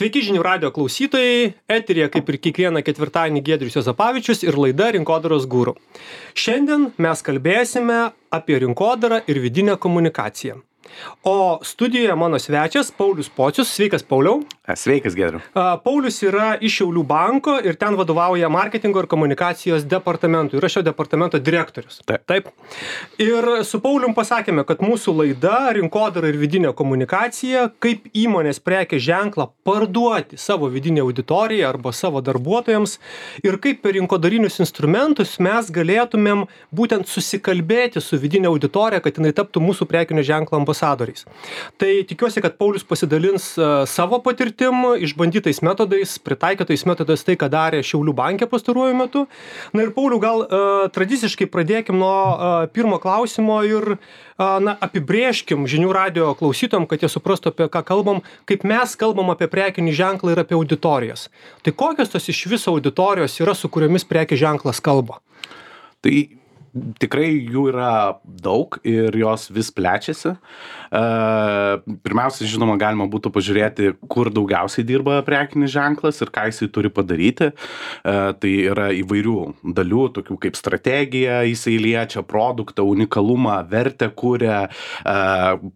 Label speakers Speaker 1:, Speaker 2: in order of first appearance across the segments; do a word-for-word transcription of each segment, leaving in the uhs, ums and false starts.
Speaker 1: Sveiki žinių radijo klausytojai, eteryje kaip ir kiekvieną ketvirtadienį Giedrius Juozapavičius ir laida Rinkodaros guru. Šiandien mes kalbėsime apie rinkodarą ir vidinę komunikaciją. O studijoje mano svečias Paulius Pocius. Sveikas, Pauliau.
Speaker 2: Sveikas, Giedriu.
Speaker 1: Paulius yra iš Šiaulių banko ir ten vadovauja marketingo ir komunikacijos departamentui. Yra šio departamento direktorius.
Speaker 2: Taip.
Speaker 1: Taip. Ir su Paulium pasakėme, kad mūsų laida Rinkodara ir vidinė komunikacija, kaip įmonės prekės ženklą parduoti savo vidinę auditoriją arba savo darbuotojams ir kaip per rinkodarinius instrumentus mes galėtumėm būtent susikalbėti su vidinė auditorija, kad jinai taptų mūsų prekinio ženklo ambasadoriais. Tai tikiuosi, kad Paulius pasidalins uh, savo patirtim, išbandytais metodais, pritaikytais metodais tai, ką darė Šiaulių banke pastaruoju metu. Na ir Pauliau, gal uh, tradiciškai pradėkim nuo uh, pirmo klausimo ir uh, na, apibrėžkim žinių radijo klausytojam, kad jie suprastų, apie ką kalbam, kaip mes kalbam apie prekinį ženklą ir apie auditorijas. Tai kokios tos iš viso auditorijos yra, su kuriomis prekės ženklas kalba?
Speaker 2: Tai tikrai jų yra daug ir jos vis plečiasi. Pirmiausia, žinoma, galima būtų pažiūrėti, kur daugiausiai dirba prekinis ženklas ir ką jisai turi padaryti. Tai yra įvairių dalių, tokių kaip strategija, jisai liečia produktą, unikalumą, vertę kuria,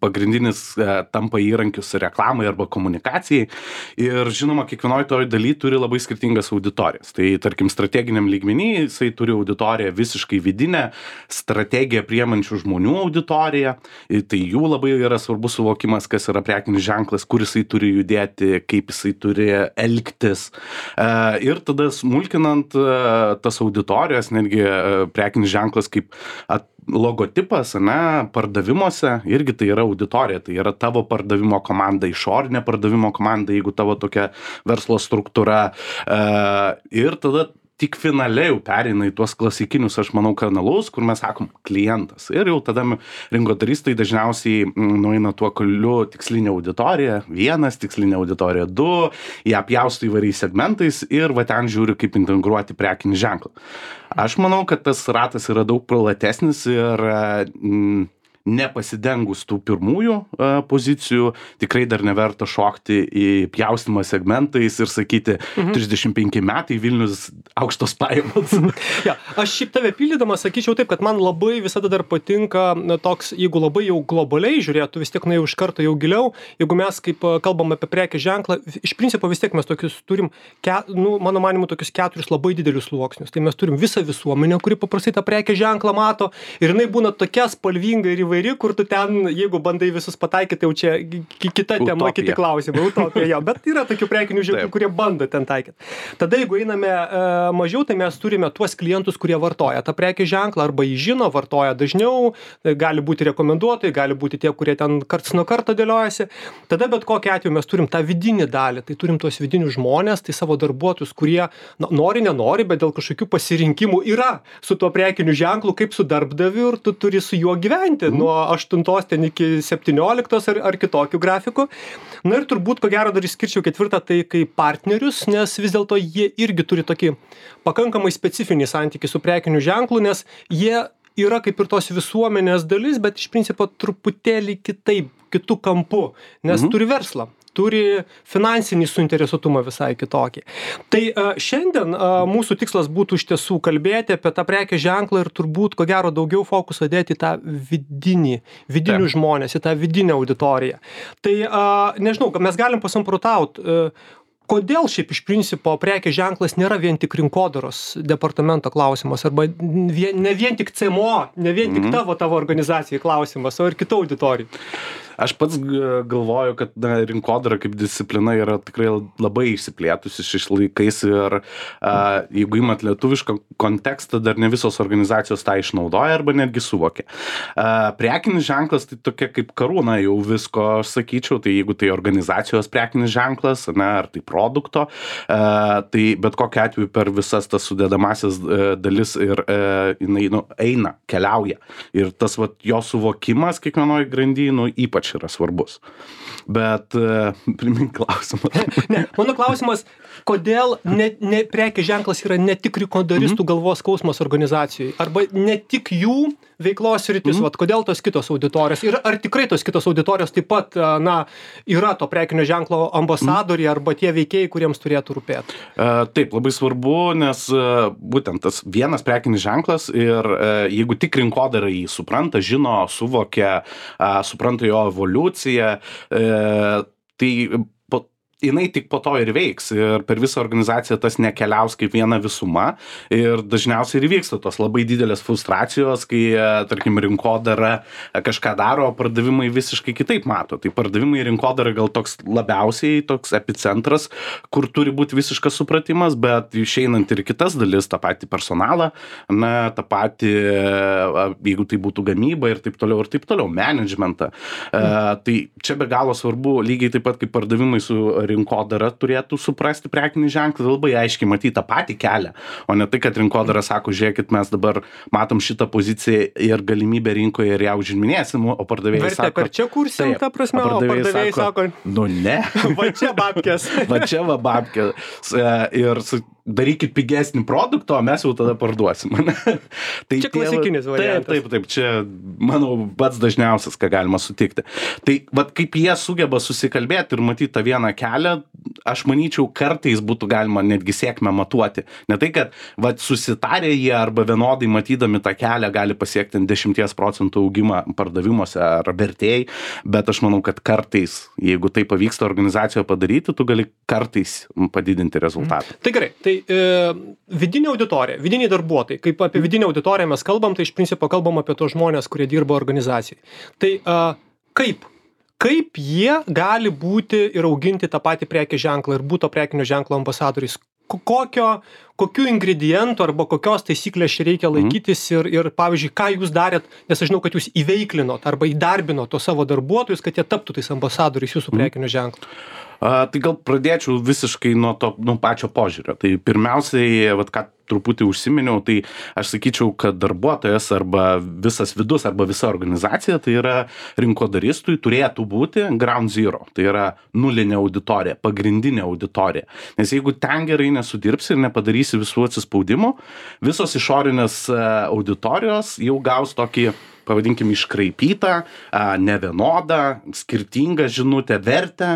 Speaker 2: pagrindinis tampa įrankius reklamai arba komunikacijai. Ir žinoma, kiekvienoje toje dalyje turi labai skirtingas auditorijas. Tai tarkim, strateginiam lygmenį jisai turi auditoriją visiškai vidinę, strategiją priemančių žmonių auditoriją. Tai jų labai yra svarbus suvokimas, kas yra prekinis ženklas, kur jisai turi judėti, kaip jisai turi elgtis. Ir tada smulkinant tas auditorijas, netgi prekinis ženklas kaip logotipas, ne, pardavimuose, irgi tai yra auditorija, tai yra tavo pardavimo komanda, išorinė pardavimo komanda, jeigu tavo tokia verslo struktūra. Ir tada tik finaliai jau pereina į tuos klasikinius, aš manau, kanalus, kur mes sakom klientas. Ir jau tada rinkodaristai dažniausiai nueina tuo keliu tikslinė auditorija, vienas, tikslinė auditorija du, jie apjausto įvairiais segmentais ir va ten žiūri, kaip integruoti prekinį ženklą. Aš manau, kad tas ratas yra daug platesnis ir mm, nepasidengus tų pirmųjų a, pozicijų, tikrai dar neverta šokti į pjaustymą segmentais ir sakyti mhm. trisdešimt penki metai Vilnius aukštos pajamos.
Speaker 1: ja, aš šiaip tave pildydamas sakyčiau taip, kad man labai visada dar patinka na, toks, jeigu labai jau globaliai žiūrėtų, vis tiek na jau iš karto jau giliau, jeigu mes kaip kalbam apie prekės ženklą, iš principo vis tiek mes tokius turim, ke, nu, mano manimu, tokius keturis labai didelius sluoksnius. Tai mes turim visą visuomenę, kuri paprastai tą prekės ženklą mato ir jinai būna tokia spalvinga ir įvairi, kur tu ten, jeigu bandai visus pataikyti, tai jau čia kita
Speaker 2: Utopija.
Speaker 1: tema, kiti klausimai, utopija, jo, bet yra tokių prekinių ženklų, kurie bando ten taikyti. Tada, jeigu einame e, mažiau, tai mes turime tuos klientus, kurie vartoja tą prekės ženklą, arba jį žino, vartoja dažniau, gali būti rekomenduotojai, gali būti tie, kurie ten karts nuo karto dėliojasi. Tada bet kokiu atveju mes turim tą vidinį dalį, tai turim tuos vidinius žmonės, tai savo darbuotojus, kurie na, nori, nenori, bet dėl kažkokių pasirinkimų yra su tuo prekiniu ženklu, kaip su darbdaviu ir tu turi su juo gyventi. Mm. Nuo aštuntos ten iki septynioliktos ar, ar kitokių grafikų. Na ir turbūt, ko gero, dar išskirčiau ketvirtą, tai kaip partnerius, nes vis dėlto jie irgi turi tokį pakankamai specifinį santykį su prekiniu ženklu, nes jie yra kaip ir tos visuomenės dalis, bet iš principo truputėlį kitaip, kitų kampų, nes mhm. turi verslą. Turi finansinį suinteresuotumą visai kitokį. Tai uh, šiandien uh, mūsų tikslas būtų iš tiesų kalbėti apie tą prekės ženklą ir turbūt, ko gero, daugiau fokusą dėti į tą vidinį, vidinių žmonės, į tą vidinę auditoriją. Tai uh, nežinau, mes galim pasamprotauti, uh, kodėl šiaip iš principo prekės ženklas nėra vien tik rinkodaros departamento klausimas, arba vien, ne vien tik C M O, ne vien tik tavo, tavo organizacijai klausimas, o ir kitų auditorijų.
Speaker 2: Aš pats galvoju, kad na, rinkodara kaip disciplina yra tikrai labai išsiplėtusi šiais laikais ir a, jeigu imat lietuvišką kontekstą, dar ne visos organizacijos tą išnaudoja arba netgi suvokia. A, prekinis ženklas tai tokia kaip karūna jau visko, aš sakyčiau, tai jeigu tai organizacijos prekinis ženklas, na, ar tai produkto, a, tai bet kokiu atveju per visas tas sudedamasias a, dalis ir a, jinai nu, eina, keliauja. Ir tas vat, jo suvokimas kiekvienoj grandy, nu, ypač ypač yra svarbus. Bet uh, primink klausimą.
Speaker 1: Ne, mano klausimas, kodėl ne, ne, prekės ženklas yra ne tik rinkodaristų mm-hmm. galvos skausmas organizacijai, arba ne tik jų veiklos sritis, mm-hmm. vat, kodėl tos kitos auditorijos ir ar tikrai tos kitos auditorijos taip pat, na, yra to prekinio ženklo ambasadoriai mm-hmm. arba tie veikėjai, kuriems turėtų rūpėti?
Speaker 2: Uh, taip, labai svarbu, nes uh, būtent tas vienas prekinis ženklas ir uh, jeigu tik rinkodara jį supranta, žino, suvokia, uh, supranta jo evoliuciją, uh, tai po, jinai tik po to ir veiks ir per visą organizaciją tas nekeliaus kaip viena visuma ir dažniausiai ir vyksta tos labai didelės frustracijos, kai, tarkim, rinkodara kažką daro, o pardavimai visiškai kitaip mato. Tai pardavimai rinkodara gal toks labiausiai toks epicentras, kur turi būti visiškas supratimas, bet išeinant ir kitas dalis, tą patį personalą, na, tą patį, jeigu tai būtų gamyba ir taip toliau ir taip toliau, managementą. Mm. Uh, tai čia be galo svarbu, lygiai taip pat kaip pardavimai su rinkodara turėtų suprasti prekinį ženklą, labai aiškiai matyti tą patį kelią, o ne tai, kad rinkodara sako, žiūrėkit, mes dabar matom šitą poziciją ir galimybę rinkoje ir ją užminėsim, o pardavėjai
Speaker 1: Vertė,
Speaker 2: sako...
Speaker 1: per čia kursim, ta prasme, o pardavėjai sako...
Speaker 2: Nu ne.
Speaker 1: Va čia babkės.
Speaker 2: Va čia va babkės. Ir su... darykit pigesnį produktą, o mes jau tada parduosim. Tai
Speaker 1: čia klasikinis variantas.
Speaker 2: Taip, taip, taip, čia, manau, pats dažniausias, ką galima sutikti. Tai, vat, kaip jie sugeba susikalbėti ir matyti tą vieną kelią, aš manyčiau, kartais būtų galima netgi sėkmę matuoti. Ne tai, kad, vat, susitarė jie arba vienodai matydami tą kelią gali pasiekti dešimties procentų augimą pardavimuose ar vertėjai, bet aš manau, kad kartais, jeigu tai pavyksta organizacijoje padaryti, tu gali kartais padidinti rezultatą.
Speaker 1: Tai gerai, tai e, vidinė auditorija, vidiniai darbuotojai, kaip apie vidinę auditoriją mes kalbam, tai iš principo kalbam apie tos žmonės, kurie dirba organizacijai. Tai e, kaip? Kaip jie gali būti ir auginti tą patį prekės ženklą ir būti to prekinio ženklo ambasadoriais? Kokio, kokių ingredientų arba kokios taisyklės čia reikia laikytis ir, ir, pavyzdžiui, ką jūs darėt, nes aš žinau, kad jūs įveiklinot arba įdarbinot to savo darbuotojus, kad jie taptų tais ambasadoriais jūsų prekinio ženklo.
Speaker 2: A, tai gal pradėčiau visiškai nuo to, nuo pačio požiūrio. Tai pirmiausiai, vat, ką truputį užsiminiau, tai aš sakyčiau, kad darbuotojas arba visas vidus arba visa organizacija, tai yra rinkodaristui turėtų būti ground zero. Tai yra nulinė auditorija, pagrindinė auditorija. Nes jeigu ten gerai nesudirbsi ir nepadarysi visų atsispaudimų, visos išorinės auditorijos jau gaus tokį, pavadinkim, iškraipytą, nevienodą, skirtingą žinutę, vertę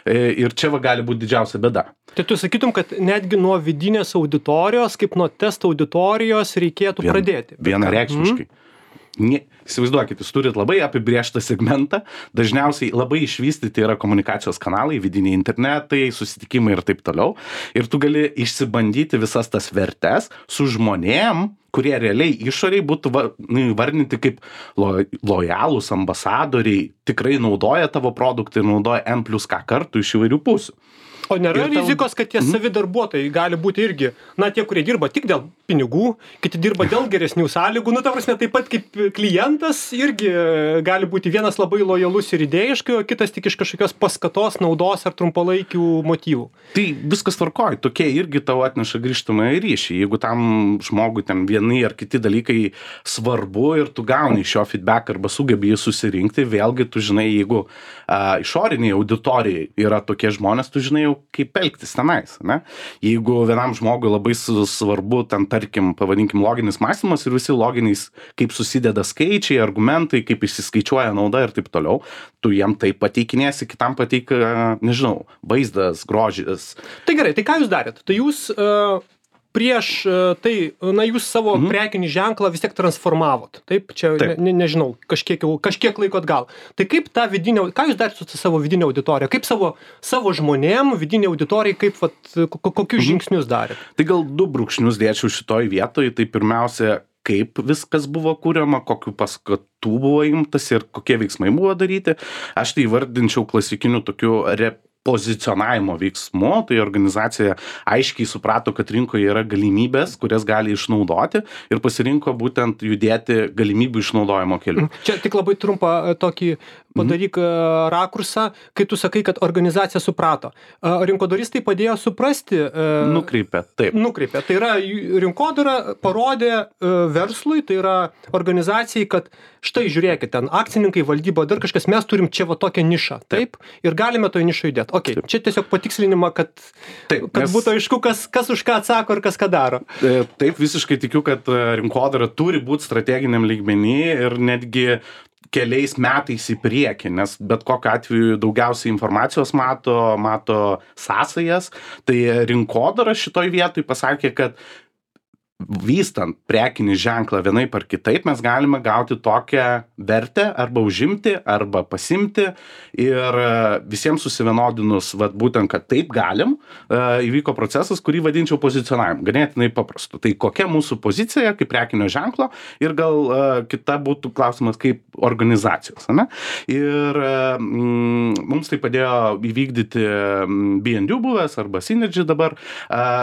Speaker 2: ir čia va gali būti didžiausia bėda.
Speaker 1: Tai tu sakytum, kad netgi nuo vidinės auditorijos, kaip nuo testo auditorijos reikėtų Vien, pradėti.
Speaker 2: Vienareikšmiškai. Mm. Ne, įsivaizduokit, jūs turit labai apibrėžtą segmentą, dažniausiai labai išvystyti yra komunikacijos kanalai, vidiniai internetai, susitikimai ir taip toliau. Ir tu gali išsibandyti visas tas vertes su žmonėm, kurie realiai išoriai būtų vardinti kaip lo, lojalūs ambasadoriai, tikrai naudoja tavo produktą ir naudoja N plus K kartų iš įvairių pusių.
Speaker 1: O nėra tau... rizikos, kad tie mm. savi darbuotojai gali būti irgi, na, tie, kurie dirba tik dėl pinigų, kiti dirba dėl geresnių sąlygų, nu, ta prasme, taip pat kaip klientas irgi gali būti vienas labai lojalus ir idėjiškai, o kitas tik iš kažkokios paskatos, naudos ar trumpalaikių motyvų.
Speaker 2: Tai viskas tvarkoj, tokie irgi tau atneša grįžtamąjį ryšį. Jeigu tam žmogui ten vieni ar kiti dalykai svarbu ir tu gauni iš jo feedback arba sugebi jį susirinkti, vėlgi tu žinai, jeigu a, išoriniai auditorijai yra tokie žmonės, tu žinai jau kaip elgtis tenais, ne? Jeigu vienam žmogui labai svarbu, ten, tarkim, pavadinkim, loginis mąstymas ir visi loginiais, kaip susideda skaičiai, argumentai, kaip išsiskaičiuoja nauda ir taip toliau, tu jiem tai pateikinėsi, kitam pateik, nežinau, vaizdas, grožis.
Speaker 1: Tai gerai, tai ką jūs darėt? Tai jūs uh, prieš uh, tai, na, jūs savo mm-hmm. prekinį ženklą vis tiek transformavot, taip? Čia, taip. Ne, nežinau, kažkiek, kažkiek laiko atgal. Tai kaip tą vidinę, ką jūs darėt su savo vidinė auditorija? Kaip savo, savo žmonėm, vidinė auditorija, kaip, vat, kokius mm-hmm. žingsnius darėt?
Speaker 2: Tai gal du brūkšnius dėčiau šitoj vietoj, tai pirmiausia, kaip viskas buvo kuriama, kokiu paskatų buvo imtas ir kokie veiksmai buvo daryti. Aš tai vardinčiau klasikiniu tokiu rep pozicionavimo veiksmu, tai organizacija aiškiai suprato, kad rinkoje yra galimybės, kurias gali išnaudoti ir pasirinko būtent judėti galimybių išnaudojimo keliu.
Speaker 1: Čia tik labai trumpą tokį padaryk mhm. rakursą, kai tu sakai, kad organizacija suprato. Rinkodaristai padėjo suprasti.
Speaker 2: Nukreipė, taip.
Speaker 1: Nukreipė. Tai yra rinkodara parodė verslui, tai yra organizacijai, kad štai žiūrėkit, ten akcininkai, valdyba, dar kažkas, mes turim čia va tokią nišą, taip, taip ir galime to nišą judėti. Ok, taip. Čia tiesiog patikslinimą, kad, taip, kad mes... būtų aišku, kas, kas už ką atsako ir kas ką daro.
Speaker 2: Taip, visiškai tikiu, kad rinkodara turi būti strateginiam lygmenį ir netgi keliais metais į priekį, nes bet kokiu atveju daugiausiai informacijos mato, mato sąsajas, tai rinkodara šitoj vietoj pasakė, kad vystant prekinį ženklą vienaip ar kitaip, mes galime gauti tokią vertę arba užimti, arba pasimti ir visiems susivienodinus, vat, būtent, kad taip galim, įvyko procesas, kurį vadinčiau pozicionavimu, ganėtinai paprastu. Tai kokia mūsų pozicija kaip prekinio ženklo ir gal kita būtų klausimas kaip organizacijos. Ne? Ir mm, mums tai padėjo įvykdyti B and U buvęs arba Synergy dabar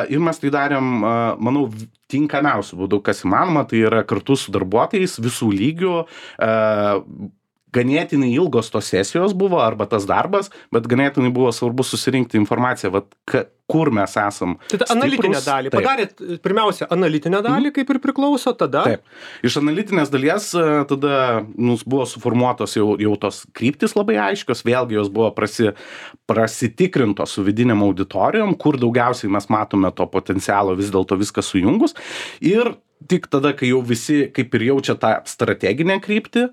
Speaker 2: ir mes tai darėm, manau, tinkamiausių būdų, kas įmanoma, tai yra kartu su darbuotojais visų lygių, e, ganėtinai ilgos tos sesijos buvo, arba tas darbas, bet ganėtinai buvo svarbu susirinkti informaciją, vat, ka, kur mes esam.
Speaker 1: Tai analitinę dalį. Taip. Padarėt pirmiausia analitinę dalį, kaip ir priklauso, tada?
Speaker 2: Taip. Iš analitinės dalies tada mums buvo suformuotos jau, jau tos kryptis labai aiškios, vėlgi jos buvo prasi, prasitikrintos su vidiniam auditorijom, kur daugiausiai mes matome to potencialo vis dėlto viską sujungus. Ir tik tada, kai jau visi kaip ir jaučia tą strateginę kryptį,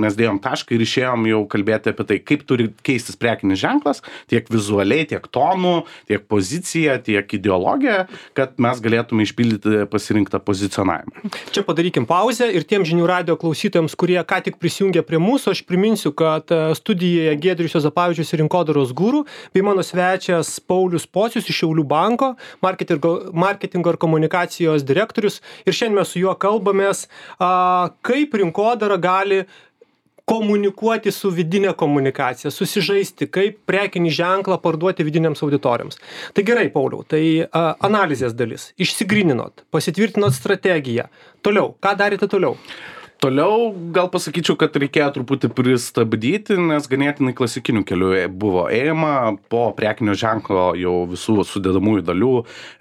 Speaker 2: mes dėjom tašką ir išėjom jau kalbėti apie tai, kaip turi keistis prekinis ženklas, tiek vizualiai, tiek tonų, tiek pozicija, tiek ideologija, kad mes galėtume išpildyti pasirinktą pozicionavimą.
Speaker 1: Čia padarykim pauzę ir tiem žinių radijo klausytojams, kurie ką tik prisijungė prie mūsų, aš priminsiu, kad studijoje Giedrius Juozapavičius ir rinkodaros guru, bei mano svečias Paulius Pocius iš Šiaulių banko, marketingo, marketingo ir komunikacijos direktorius. Ir šiandien mes su juo kalbamės, a, kaip rinkodara gali komunikuoti su vidinė komunikacija, susižaisti, kaip prekinį ženklą parduoti vidiniams auditoriams. Tai gerai, Pauliau, tai a, analizės dalis. Išsigryninot, pasitvirtinot strategiją. Toliau, ką darėte toliau?
Speaker 2: Toliau gal pasakyčiau, kad reikėjo truputį pristabdyti, nes ganėtinai klasikinių kelių buvo ėjama po prekinio ženklo jau visų sudedamųjų dalių,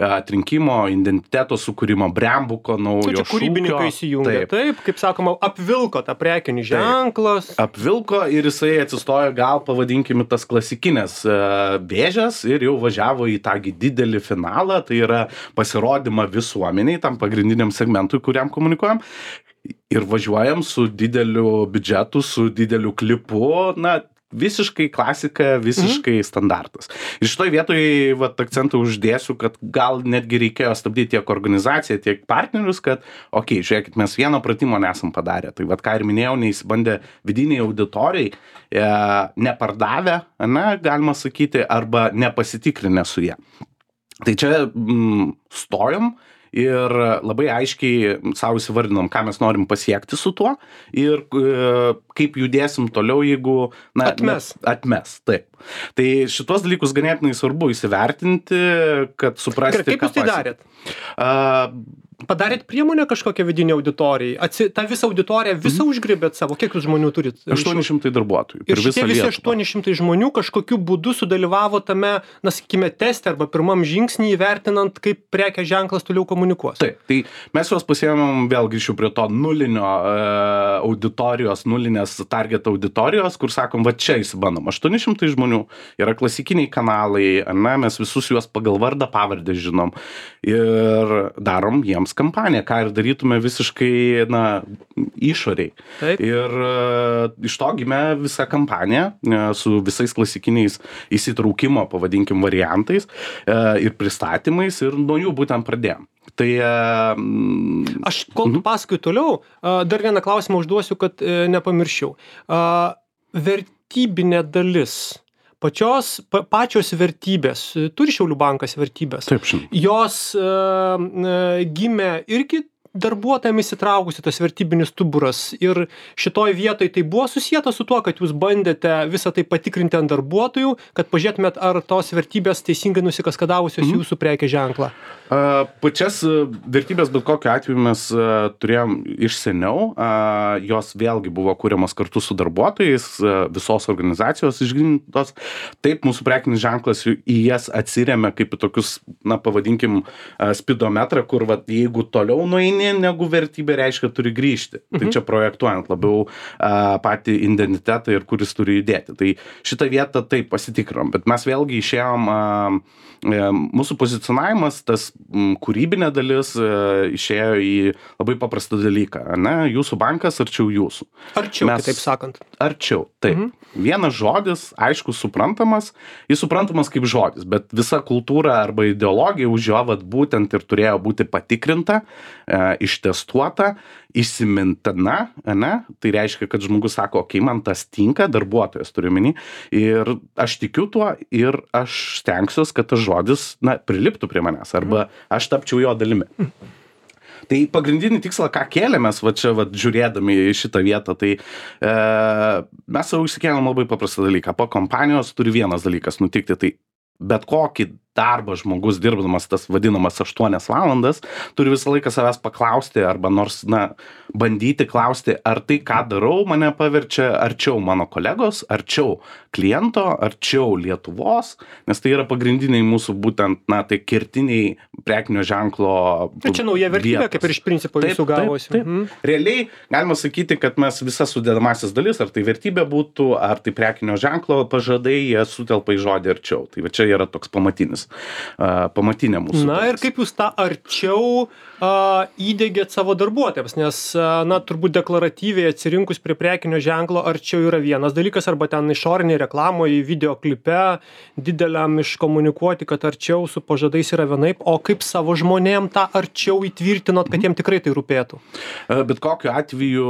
Speaker 2: atrinkimo, identiteto sukūrimo, brandbuko, naujo šūkio.
Speaker 1: Čia kūrybininkai įsijungia, taip. taip, kaip sakoma, apvilko tą prekinį ženklas.
Speaker 2: Taip. Apvilko ir jisai atsistojo gal, pavadinkime, tas klasikinės vėžės ir jau važiavo į tą didelį finalą, tai yra pasirodymą visuomeniai, tam pagrindiniam segmentui, kuriam komunikuojam. Ir važiuojam su dideliu biudžetu, su dideliu klipu, na, visiškai klasika, visiškai mhm. standartas. Ir šitoj vietoj vat, akcentą uždėsiu, kad gal netgi reikėjo stabdyti tiek organizaciją, tiek partnerius, kad, okei, okay, žiūrėkit, mes vieno pratimo nesam padarę. Tai vat, ką ir minėjau, neįsibandė vidiniai auditorijai, e, nepardavę, ne, galima sakyti, arba nepasitikrinę su jie. Tai čia mm, stojom. Ir labai aiškiai savo įsivardinom, ką mes norim pasiekti su tuo ir e, kaip judėsim toliau, jeigu... Na,
Speaker 1: atmes.
Speaker 2: Ne, atmes, taip. Tai šitos dalykus ganėtinai svarbu įsivertinti, kad suprasti,
Speaker 1: Gerai, kaip jūs tai darėt?
Speaker 2: Uh,
Speaker 1: Padarėt priemonę kažkokią vidinį auditorijai? Atsi, tą visą auditoriją visą mm. užgribėt savo? Kiek jūs žmonių turit?
Speaker 2: aštuoni šimtai darbuotojų.
Speaker 1: Ir šitie visi aštuoni šimtai žmonių kažkokiu būdu sudalyvavo tame, na, sakykime, teste arba pirmam žingsnį įvertinant, kaip prekės ženklas toliau komunikuos.
Speaker 2: Taip, tai mes juos pasiėmėm, vėl grįšiu prie to nulinio e, auditorijos, nulinės target auditorijos, kur sakom, va čia įsibandom. aštuoni šimtai žmonių yra klasikiniai kanalai, ne, mes visus juos pagal vardą pavardę žinom ir darom jiems kampaniją, ką ir darytume visiškai, na, išoriai.
Speaker 1: Taip.
Speaker 2: Ir uh, iš to gimė visa kampanija uh, su visais klasikiniais įsitraukimo, pavadinkim, variantais uh, ir pristatymais ir nuo jų būtent pradėjom. Tai... Uh,
Speaker 1: Aš, kol tu uh-huh. pasakai toliau, uh, dar vieną klausimą užduosiu, kad uh, nepamirščiau. Uh, vertybinė dalis. Pačios, pa, pačios vertybės, turi Šiaulių bankas vertybės.
Speaker 2: Taip, žinoma.
Speaker 1: Jos uh, uh, gimė irgi darbuotojam įsitraukus į tas vertybinis stuburas ir šitoj vietoj tai buvo susieta su tuo, kad jūs bandėte visą tai patikrinti ant darbuotojų, kad pažiūrėtumėt, ar tos vertybės teisingai nusikaskadavusios mm. jūsų prekės ženklą?
Speaker 2: Uh, pačias vertybės bet kokiu atveju mes uh, turėjom iš seniau, uh, jos vėlgi buvo kūriamas kartu su darbuotojais, uh, visos organizacijos išgrynintos. Taip, mūsų prekinis ženklas į jas atsiremia kaip į tokius, na, pavadinkim, uh, spidometrą, kur, vat, jeigu toliau nueini negu vertybė, reiškia, turi grįžti. Mhm. Tai čia projektuojant labiau uh, patį identitetą ir kuris turi judėti. Tai šitą vietą taip pasitikrom, bet mes vėlgi išėjom, uh, mūsų pozicionavimas, tas m, kūrybinė dalis uh, išėjo į labai paprastą dalyką, ne? Jūsų bankas arčiau jūsų.
Speaker 1: Arčiau, mes, taip sakant.
Speaker 2: Arčiau, taip. Mhm. Vienas žodis, aišku, suprantamas, jis suprantamas kaip žodis, bet visa kultūra arba ideologija už jo vat būtent ir turėjo būti patikrinta, e, ištestuota, įsimintina, ne? Tai reiškia, kad žmogus sako, okei, okay, man tas tinka, darbuotojas turiu minį, ir aš tikiu tuo ir aš stengsiuos, kad tas žodis, na, priliptų prie manęs, arba aš tapčiau jo dalimi. Tai pagrindinį tikslą, ką kėlėmės, va čia va, žiūrėdami į šitą vietą, tai e, mes savo išsikėlėm labai paprastą dalyką. Po kompanijos turi vienas dalykas nutikti, tai bet kokį darbą žmogus dirbdamas tas vadinamas aštuonias valandas, turi visą laiką savęs paklausti arba nors, na, bandyti klausti, ar tai, ką darau, mane paverčia arčiau mano kolegos, arčiau kliento, arčiau Lietuvos, nes tai yra pagrindiniai mūsų būtent, na, tai kertiniai prekinio ženklo
Speaker 1: vietos. Čia nauja vertybė, kaip ir iš principo jūsų gavosi.
Speaker 2: Taip, taip. Mm. Realiai galima sakyti, kad mes visas sudedamasis dalis, ar tai vertybė būtų, ar tai prekinio ženklo pažadai, jie sutelpa į žodį arčiau. Tai va čia yra toks pamatinis, uh, pamatinė mūsų.
Speaker 1: Na ir kaip jūs tą arčiau uh, įdėgėt savo darbuotojams, nes, uh, na, turbūt deklaratyviai atsirinkus prie prekinio ženklo arčiau yra vienas dalykas, arba ten išorinėje reklamoje, videoklipe dideliam iškomunikuoti, kad arčiau su pažadais yra vienaip, o kaip savo žmonėm tą arčiau įtvirtinot, kad jiem tikrai tai rūpėtų?
Speaker 2: Bet kokiu atveju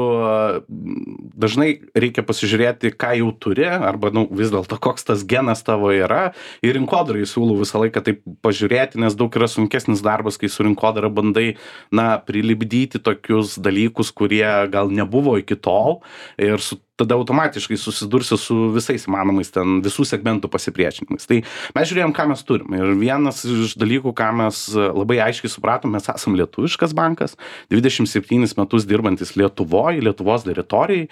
Speaker 2: dažnai reikia pasižiūrėti, ką jau turi, arba, nu, vis dėlto koks tas genas tavo yra. Ir rinkodarai siūlau visą laiką taip pažiūrėti, nes daug yra sunkesnis darbas, kai su rinkodara bandai, na, prilipdyti tokius dalykus, kurie gal nebuvo iki tol, ir su tada automatiškai susidursi su visais įmanomais ten visų segmentų pasipriešinimais. Tai mes žiūrėjom, ką mes turim. Ir vienas iš dalykų, ką mes labai aiškiai supratom, mes esam lietuviškas bankas, dvidešimt septynis metus dirbantis Lietuvoje, Lietuvos teritorijai.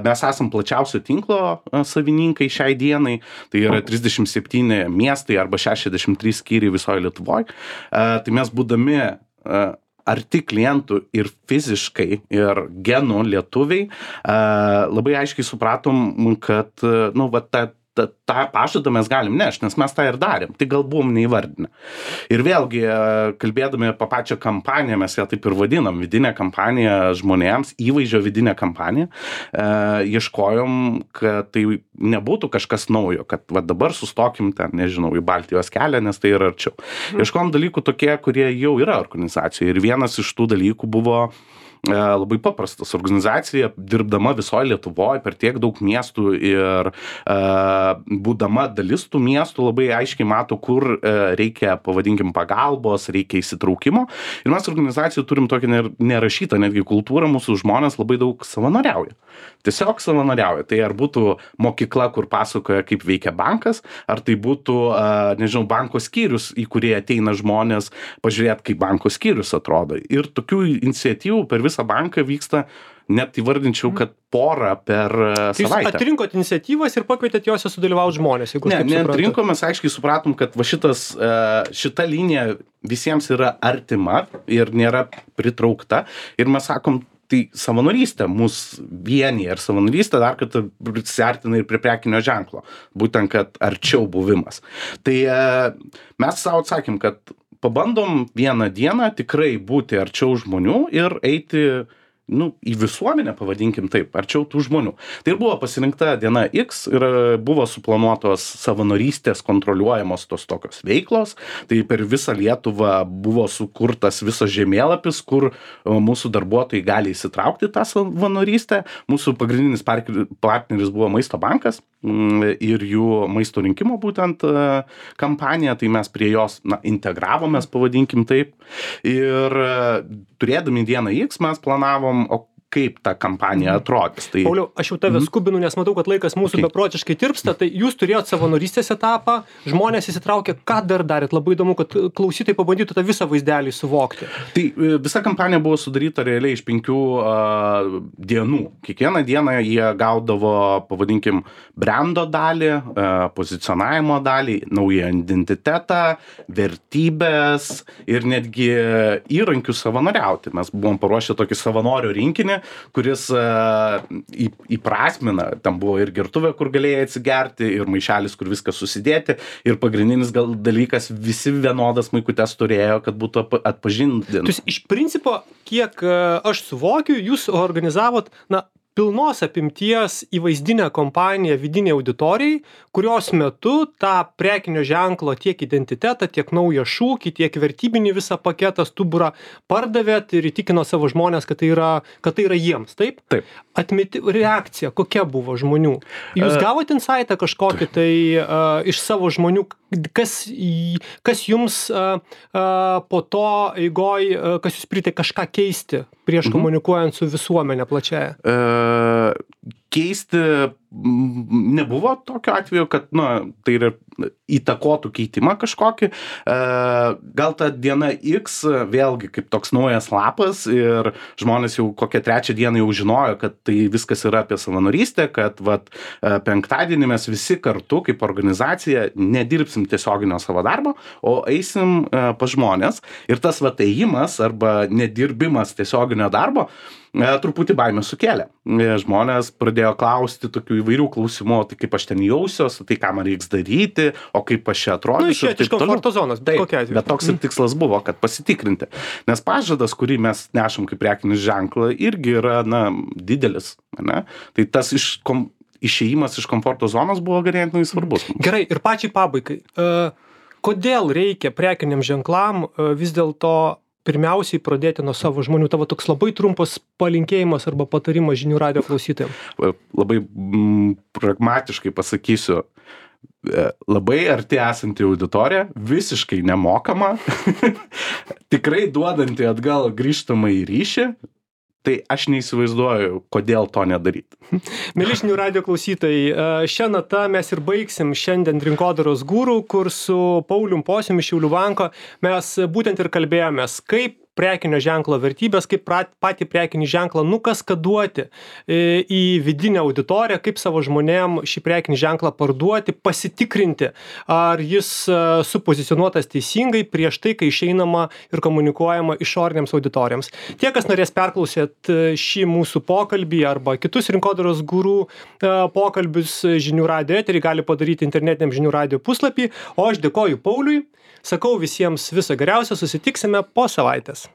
Speaker 2: Mes esam plačiausio tinklo savininkai šiai dienai, tai yra trisdešimt septyni miestai arba šešiasdešimt trys skyriai visoje Lietuvoje. Tai mes būdami arti klientų ir fiziškai, ir genų lietuviai, labai aiškiai supratom, kad, nu, va, ta, ta, tą pažadą mes galim nešti, nes mes tą ir darėm, tai gal buvom neįvardinę. Ir vėlgi, kalbėdami apie pačią kampaniją, mes ją taip ir vadinam, vidinę kampaniją žmonėms, įvaizdžio vidinę kampaniją, e, ieškojom, kad tai nebūtų kažkas naujo, kad va dabar sustokim ten, nežinau, į Baltijos kelią, nes tai yra arčiau. Ieškojom dalykų tokie, kurie jau yra organizacijoje. Ir vienas iš tų dalykų buvo labai paprastas. Organizacija, dirbdama visoje Lietuvoje per tiek daug miestų ir uh, būdama dalis tų miestų, labai aiškiai mato, kur uh, reikia, pavadinkim, pagalbos, reikia įsitraukimo. Ir mes organizacijų turim tokią nerašytą netgi kultūrą, mūsų žmonės labai daug savanoriauja. Tiesiog savanoriauja. Tai ar būtų mokykla, kur pasakoja, kaip veikia bankas, ar tai būtų, uh, nežinau, banko skyrius, į kurį ateina žmonės pažiūrėti, kaip banko skyrius atrodo. Ir tokių iniciatyvų per visą banką vyksta, net įvardinčiau, kad porą per
Speaker 1: tai
Speaker 2: savaitę.
Speaker 1: Jūs atrinkot iniciatyvas ir pakvietėt jose sudalyvauti žmonės, jeigu
Speaker 2: ne, neatrinkom, mes aiškiai supratom, kad va šitas, šita linija visiems yra artima ir nėra pritraukta. Ir mes sakom, tai savanorystė mus vienyje ir savanorystė dar kartą prisiartina ir prie prekinio ženklo. Būtent, kad arčiau buvimas. Tai mes savo atsakėm, kad pabandom vieną dieną tikrai būti arčiau žmonių ir eiti nu, į visuomenę, pavadinkim taip, arčiau tų žmonių. Tai ir buvo pasirinkta diena X ir buvo suplanuotos savanorystės kontroliuojamos tos tokios veiklos. Tai per visą Lietuvą buvo sukurtas visas žemėlapis, kur mūsų darbuotojai gali įsitraukti tą savanorystę. Mūsų pagrindinis partneris buvo Maisto bankas ir jų maisto rinkimo būtent kampanija, tai mes prie jos na, integravomės, pavadinkim taip. Ir turėdami dieną X mes planavom, o kaip ta kampanija atrodys. Tai...
Speaker 1: Pauliau, aš jau tave skubinu, nes matau, kad laikas mūsų okay. beprotiškai tirpsta, tai jūs turėjot savanorystės etapą, žmonės įsitraukė, ką dar darėt? Labai įdomu, kad klausytojai pabandytų tą visą vaizdelį suvokti.
Speaker 2: Tai visa kampanija buvo sudaryta realiai iš penkių uh, dienų. Kiekvieną dieną jie gaudavo, pavadinkim, brando dalį, uh, pozicionavimo dalį, naują identitetą, vertybės ir netgi įrankius savanoriauti. Mes buvom paruošę tokį savanorio rinkinį, kuris uh, į, įprasmina, tam buvo ir gertuvė, kur galėjai atsigerti, ir maišelis, kur viskas susidėti, ir pagrindinis gal dalykas, visi vienodas maikutes turėjo, kad būtų atpažinti.
Speaker 1: Tai iš principo, kiek uh, aš suvokiu, jūs organizavot, na, pilnos apimties įvaizdinę kompaniją vidinei auditorijai, kurios metu tą prekinio ženklo tiek identitetą, tiek naują šūkį, tiek vertybinį visą paketą, stuburą pardavėt ir įtikino savo žmonės, kad tai yra, kad tai yra jiems, taip?
Speaker 2: Taip.
Speaker 1: Atmeti, reakcija, kokia buvo žmonių? Jūs gavot insaitą kažkokį tai uh, iš savo žmonių, kas, kas jums uh, uh, po to eigoj, uh, kas jūs pritai kažką keisti prieš mhm. komunikuojant su visuomenė plačiaja?
Speaker 2: Uh, keisti nebuvo tokio atveju, kad, na, tai yra įtakotų keitimą kažkokį. Gal ta diena X vėlgi kaip toks naujas lapas ir žmonės jau kokią trečią dieną jau žinojo, kad tai viskas yra apie savanorystę, kad vat, penktadienį mes visi kartu kaip organizacija nedirbsim tiesioginio savo darbo, o eisim pas žmonės. Ir tas vat ėjimas arba nedirbimas tiesioginio darbo truputį baimę sukėlė. Žmonės pradėjo klausti tokių įvairių klausimų, tai kaip aš ten jausiuos, tai ką man reiks daryti, o kaip aš čia atrodysiu.
Speaker 1: Nu, išėti iš komforto zonos, bet kokia atveju.
Speaker 2: Bet toks ir tikslas buvo, kad pasitikrinti. Nes pažadas, kurį mes nešam kaip prekinis ženklą, irgi yra, na, didelis. Ne? Tai tas iš kom, išėjimas iš komforto zonos buvo ganėtinai svarbus.
Speaker 1: Gerai, ir pačiai pabaigai. Uh, kodėl reikia prekiniam ženklam uh, vis dėlto pirmiausiai pradėti nuo savo žmonių? Tavo toks labai trumpas palinkėjimas arba patarimas žinių radijo klausytojams.
Speaker 2: Labai mm, pragmatiškai pasakysiu, labai arti esanti auditorija, visiškai nemokama, tikrai duodanti atgal grįžtamą į ryšį. Tai aš neįsivaizduoju, kodėl to nedaryti.
Speaker 1: Mieli žinių radijo klausytojai, šią natą mes ir baigsim šiandien Rinkodaros guru, kur su Paulium Pociumi iš Šiaulių banko mes būtent ir kalbėjomės, kaip prekinio ženklo vertybės, kaip patį prekinį ženklą nukaskaduoti į vidinę auditoriją, kaip savo žmonėm šį prekinį ženklą parduoti, pasitikrinti, ar jis supozicionuotas teisingai prieš tai, kai išeinama ir komunikuojama išorinėms auditorijoms. Tie, kas norės perklausėt šį mūsų pokalbį arba kitus Rinkodaros guru pokalbius žinių radijo eterį, gali padaryti internetiniam žinių radijo puslapį, o aš dėkoju Pauliui, sakau visiems viso geriausio, susitiksime po savaitės.